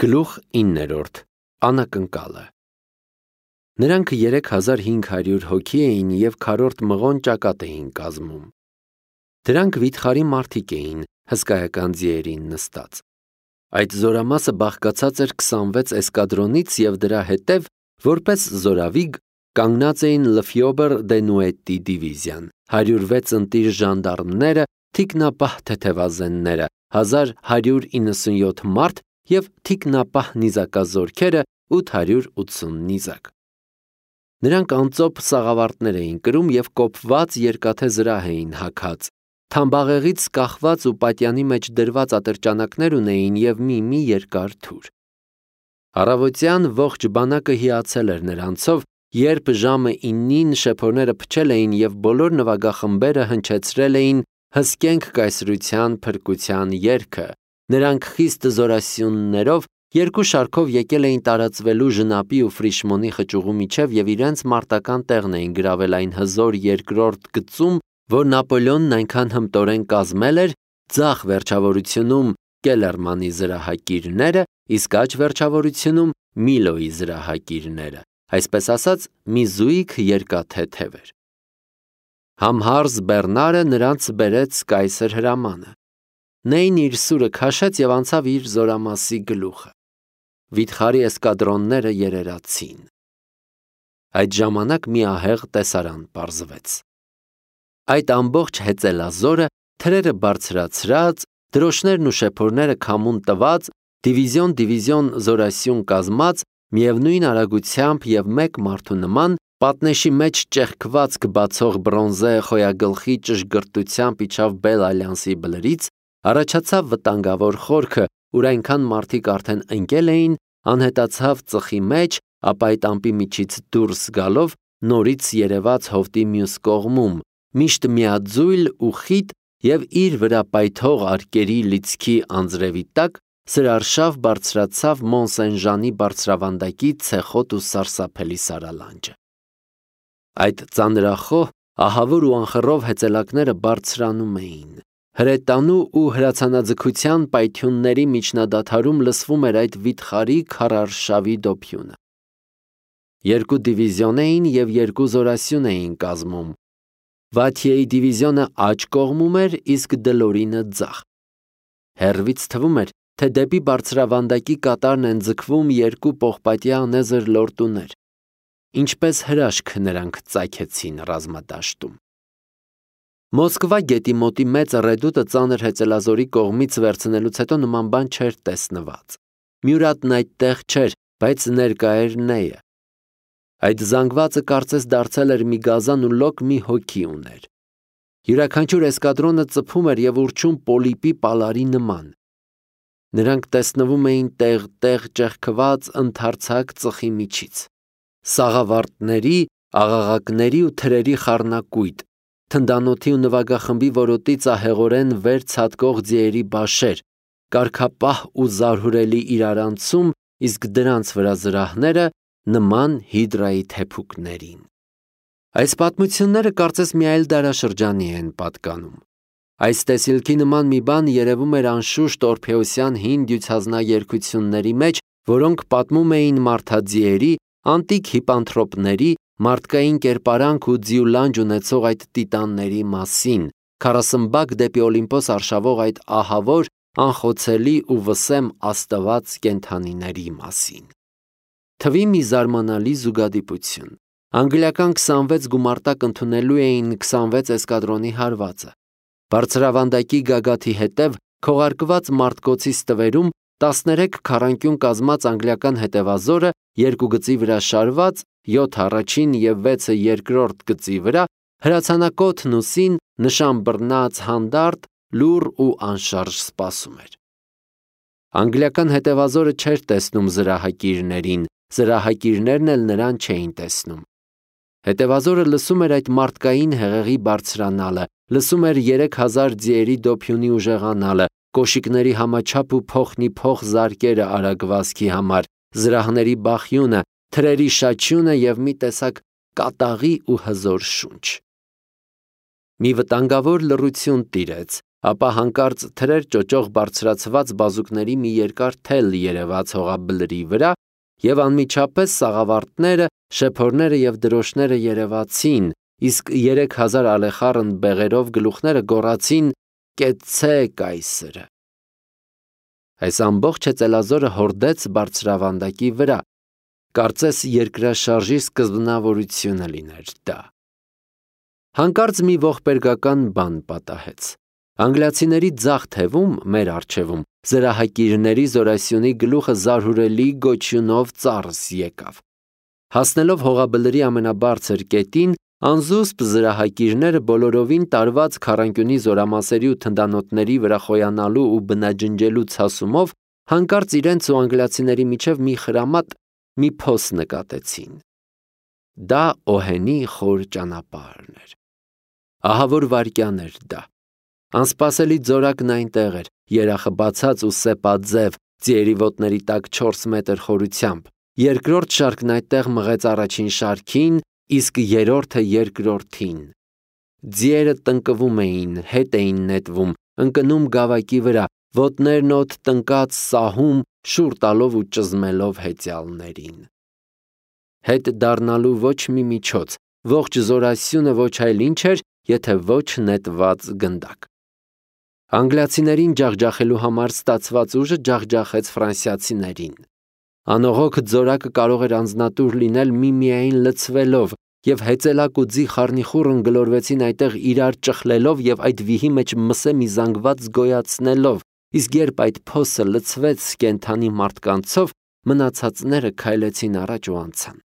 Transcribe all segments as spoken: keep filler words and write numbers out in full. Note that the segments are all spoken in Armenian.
Գլուխ իններորդ Անակնկալը Նրանք երեք հազար հինգ հարյուր հոգի էին և քառորդ մղոն ճակատ էին կազմում։ Դրանք վիթխարի մարդիկ էին, հսկայական ձիերին նստած։ Այդ զորամասը բաղկացած էր քսանվեց էսկադրոնից և դրա հետև, որպես զորավիգ, կանգնած էին Լֆյոբեր Դենուետի դիվիզիան, հարյուր վեց ընտիր ժանդարմները, թիկնապահ թեթևազենները, հազար հարյուր իննսունյոթ մարդ և թիկնապահ նիզակազորքերը ութ հարյուր ութսուն նիզակ։ Նրանք անծոփ սաղավարտներ էին կրում և կոփված երկաթե զրահ էին հագած, թամբաղեղից կախված ու պատյանի մեջ դրված ատրճանակներ ունեին և մի-մի երկար թուր։ Առավոտյան ողջ բանակը հիացել էր նրանցով, երբ ժամը իննին շեփորները փչել էին և բոլոր նվագախմբերը հնչեցրել էին «Հսկենք կայսրության փրկության երգը», նրանք խիստ զորասյուններով երկու շարքով եկել էին տարածվելու Ժնապի ու Ֆրիշմոնի խճուղու միջև և իրենց մարտական տեղն էին գրավել այն հզոր երկրորդ գծում, որ Նապոլեոնն այնքան հմտորեն կազմել էր, ձախ վերջավորությունում Կելերմանի զրահակիրները, իսկ աջ վերջավորությունում Միլոյի զրահակիրները, այսպես ասած, մի զույգ երկաթե թևեր։ Համհարզ Բեռնարը նրանց բերեց կայսր հրամանը։ Նեյն իր սուրը քաշեց և անցավ իր զորամասի գլուխը։ Վիթխարի էսկադրոնները երերացին։ Այդ ժամանակ մի ահեղ տեսարան պարզվեց։ Այդ ամբողջ հեծելազորը, թրերը բարձրացրած, դրոշներն ու շեփորները քամուն տված, դիվիզիոն-դիվիզիոն զորասյուն կազմած, միևնույն արագությամբ և մեկ մարդու նման, պատնեշի մեջ ճեղքվածք բացող բրոնզե խոյագլխի ճշգրտությամբ իջավ Բել-Ալյանսի բլրից, առաջացավ վտանգավոր խորքը, ուր այնքան մարդիկ արդեն ընկել էին, անհետացավ ծխի մեջ, ապա այդ ամպի միջից դուրս գալով նորից երևաց հովտի մյուս կողմում, միշտ միաձույլ ու խիտ և իր վրա պայթող արկերի լիցքի անձրևի տակ սրարշավ բարձրացավ Մոն-Սեն-Ժանի բարձրավանդակի ցեխոտ ու սարսափելի սարալանջը։ Այդ ծանրախոհ, ահավոր ու անխռով հեծելակները բարձրանում էին։ Հրետանու ու հրացանաձգության պայթյունների միջնադադարում լսվում էր այդ վիթխարի քարառշավի դոփյունը։ Երկու դիվիզիոն էին և երկու զորասյուն էին կազմում։ Վաթիեի դիվիզիոնը աջ կողմում էր, իսկ Դլորինը ձախ։ Հեռվից թվում էր, թե դեպի բարձրավանդակի կատարն են ձգվում երկու պողպատյա անեզր լորտուներ։ Ինչպես հրաշք նրանք ծագեցին ռազմադաշտում։ Մոսկվա գետի մոտի մեծ ռեդուտը ծանր հեծելազորի կողմից վերցնելուց հետո նման բան չէր տեսնված։ Մյուրատն այդտեղ չէր, բայց ներկա էր Նեյը։ Այդ զանգվածը կարծես դարձել էր մի գազան ու լոկ մի հոգի ուներ։ Յուրաքանչյուր էսկադրոնը ծփում էր և ուռչում պոլիպի պալարի նման։ Նրանք տեսնվում էին տեղ-տեղ ճեղքված ընդարձակ ծխի միջից։ Սաղավարտների, աղաղակների ու թրերի խառնակույտ, թնդանոթի ու նվագախմբի որոտից ահեղորեն վեր ցատկող ձիերի բաշեր, կարգապահ ու զարհուրելի իրարանցում, իսկ դրանց վրա զրահները նման հիդրայի թեփուկներին։ Այս պատմությունները կարծես մի այլ դարաշրջանի են պատկանում։ Այս տեսիլքի նման մի բան երևում էր անշուշտ Օրփեոսյան հին դյուցազնաերգությունների մեջ, որոնք պատմում էին մարդաձիերի, անտիկ հիպանթրոպների, մարդկային կերպարանք ու ձիուլանջ ունեցող այդ տիտանների մասին, քառասմբակ դեպի Օլիմպոս արշավող այդ ահավոր, անխոցելի ու վսեմ աստված կենդանիների մասին։ Թվի մի զարմանալի զուգադիպություն։ Անգլիական քսանվեց գումարտակ ընդունելու էին քսանվեց էսկադրոնի հարվածը։ Բարձրավանդակի գագաթի հետև քողարկված մարտկոցի ստվերում տասներեք քառանկյուն կազմած անգլիական հետևազորը երկու գծի վրա շարված, յոթ առաջին և վեցը երկրորդ գծի վրա, հրացանակոթն ու սին, նշան բռնած հանդարտ, լուռ ու անշարժ սպասում էր։ Անգլիական հետևազորը չէր տեսնում զրահակիրներին, զրահակիրներն էլ նրան չէին տեսնում։ Հետևազորը լսում էր այդ մարդկային հեղեղի բարձրանալը, լսում էր երեք հազար ձիերի դոփյունի ուժեղանալը, կոշիկների համաչափ ու փոխնի փոխ զարկերը արագվածքի համար, զրահների բախյունը, թրերի շաչյունը և մի տեսակ կատաղի ու հզոր շունչ։ Մի վտանգավոր լռություն տիրեց, ապա հանկարծ թրեր ճոճող բարձրացված բազուկների մի երկար թել երևաց հողաբլրի վրա, և անմիջապես սաղավարտները, շեփորները և դրոշները երևացին, իսկ երեք հազար ալեխառն բեղերով գլուխները գոռացին. «Կեցցե կայսրը»։ Այս ամբողջ հեծելազորը հորդեց բարձրավանդակի վրա, կարծես երկրաշարժի սկզբնավորությունը լիներ դա։ Հանկարծ մի ողբերգական բան պատահեց։ Անգլիացիների ձախ թևում, մեր առջևում, զրահակիրների զորասյունի գլուխը զարհուրելի գոչյունով ծառս եկավ։ Հասնելով հողաբլրի ամենաբարձր կետին, անզուսպ զրահակիրները բոլորովին տարված քառանկյունի զորամասերի ու թնդանոթների վրա խոյանալու ու բնաջնջելու ցասումով հանկարծ իրենց ու անգլիացիների միջև մի խրամատ, մի փոս նկատեցին։ Դա Օհենի խոր ճանապարհն էր։ Ահավոր վայրկյան էր դա։ Անսպասելի ձորակն այնտեղ էր, երախը բացած ու սեպաձև, ձիերի ոտների տակ չորս մետր խորությամբ։ Երկրորդ շարքն այդտեղ մղեց առաջին շարքին, իսկ երրորդը երկրորդին։ Ձիերը տնկվում էին, հետ էին նետվում, ընկնում գավակի վրա, ոտներն օդ տնկած սահում, շուռ տալով ու ճզմելով հեծյալներին։ Հետ դառնալու ոչ մի միջոց, ողջ զորասյունը ոչ այլ ինչ էր, եթե ոչ նետված գնդակ։ Անգլիացիներին ջախջախելու համար ստացված ուժը ջախջախեց ֆրանսիացիներին։ Անողոք ձորակը կարող էր անձնատուր լինել միմիայն լցվելով, և հեծելակ ու ձի խառնիխուռն գլորվեցին այդտեղ իրար ճխլելով և այդ վիհի մեջ մսե մի զանգված գոյացնելով, իսկ երբ այդ փոսը լցվեց կենդանի մարդկանցով, մնացածները քայլեցին առաջ ու անցան։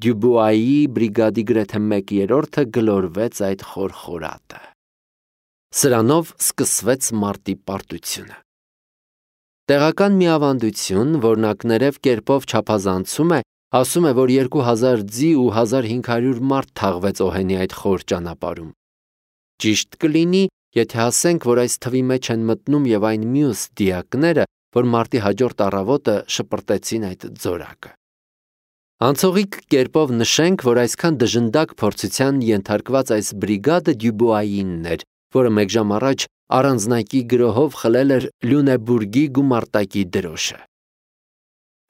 Դյուբուայի բրիգադի գրեթե մեկ երրորդը գլորվեց այդ խորխորատը։ Սրանով սկսվեց մարտի պարտությունը։ Տեղական մի ավանդություն, որն ակներև կերպով չափազանցում է, ասում է, որ երկու հազար ձի ու հազար հինգ հարյուր մարդ թաղվեց Օհենի այդ խոր ճանապարհում։ Ճիշտ կլինի, եթե ասենք, որ այս թվի մեջ են մտնում և այն մյուս դիակները, որ մարտի հաջորդ առավոտը շպրտեցին այդ ձորակը։ Անցողիկ կերպով նշենք, որ այսքան դժնդակ փորձության ենթարկված այս բրիգադը Դյուբուայինն էր, որը մեկ ժամ առաջ առանձնակի գրոհով խլել էր Լյունեբուրգի գումարտակի դրոշը։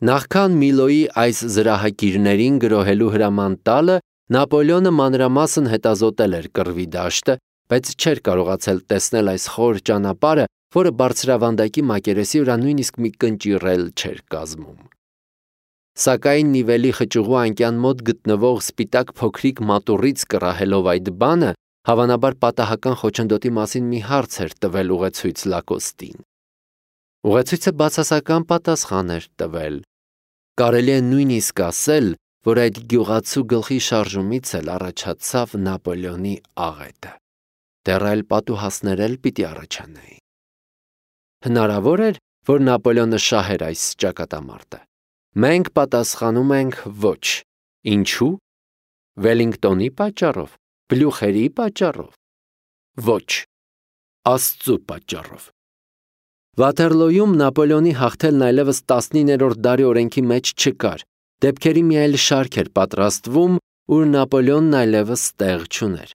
Նախքան Միլոյի այս զրահակիրներին գրոհելու հրաման տալը, Նապոլեոնը մանրամասն հետազոտել էր կռվի դաշտը, բայց չէր կարողացել տեսնել այս խոր ճանապարհը, որը բարձրավանդակի մակերեսի վրա նույնիսկ մի կնճիռ էլ չէր կազմում։ Սակայն Նիվելի խճուղու անկյան մոտ գտնվող սպիտակ փոքրիկ մատուռից կռահելով այդ բանը, հավանաբար պատահական խոչընդոտի մասին մի հարց էր տվել ուղեցույց Լակոստին։ Ուղեցույցը բացասական պատասխան էր տվել։ Կարելի է նույնիսկ ասել, որ այդ գյուղացու գլխի շարժումից էլ առաջացավ Նապոլեոնի աղետը։ Դեռ այլ պատուհասներ էլ պիտի առաջանային։ Հնարավոր էր, որ Նապոլեոնը շահեր այս ճակատամարտը։ Մենք պատասխանում ենք ոչ։ Ինչու՞։ Վելինգտոնի պատճառով, Բլյուխերի պատճառով։ Ոչ, Աստծու պատճառով։ Վաթերլոյում Նապոլեոնի հաղթելն այլևս տասնիններորդ դարի օրենքի մեջ չկար։ Դեպքերի մի այլ շարք էր պատրաստվում, ուր Նապոլեոնն այլևս տեղ չուներ։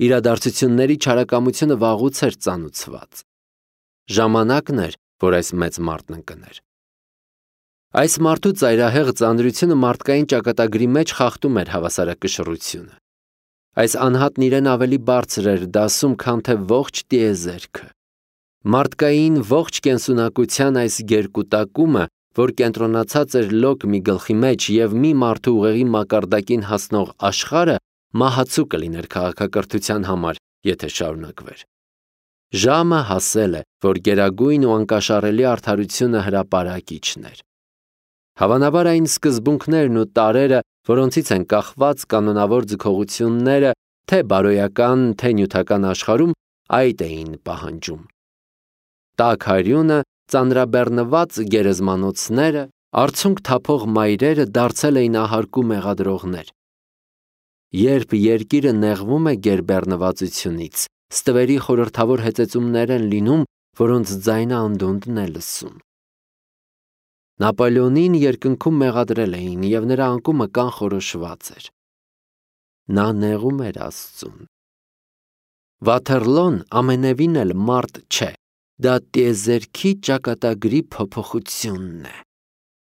Իրադարձությունների չարակամությունը վաղուց էր ծանուցված։ Ժամանակն էր, որ այս մեծ մարտն ընկներ։ Այս մարդու ծայրահեղ ծանրությունը մարդկային ճակատագրի մեջ խախտում էր հավասարակշռությունը։ Այս անհատն իրեն ավելի բարձր էր դասում, քան թե ողջ տիեզերքը։ Մարդկային ողջ կենսունակության այս գերկուտակումը, որ կենտրոնացած էր լոկ մի գլխի մեջ և մի մարդու ուղեղի մակարդակին հասնող աշխարհը, մահացու կլիներ քաղաքակրթության համար, եթե շարունակվեր։ Ժամը հասել է, որ գերագույն ու անկաշառելի արդարությունը հրապարակիչն էր։ Հավանաբար այն սկզբունքներն ու տարրերը, որոնցից են կախված կանոնավոր ձգողությունները, թե բարոյական, թե նյութական աշխարհում, այդ էին պահանջում։ Տաք արյունը, ծանրաբեռնված գերեզմանոցները, արցունք թափող մայրերը դարձել էին ահարկու մեղադրողներ։ Երբ երկիրը նեղվում է գերբեռնվածությունից, ստվերի խորհրդավոր հեծեծումներ են լինում, որոնց ձայնը անդունդն է լսում։ Նապոլեոնին երկնքում մեղադրել էին, և նրա անկումը կանխորոշված էր։ Նա նեղում էր Աստծուն։ Վաթերլոն ամենևին էլ մարդ չէ, դա տիեզերքի ճակատագրի փոփոխությունն է։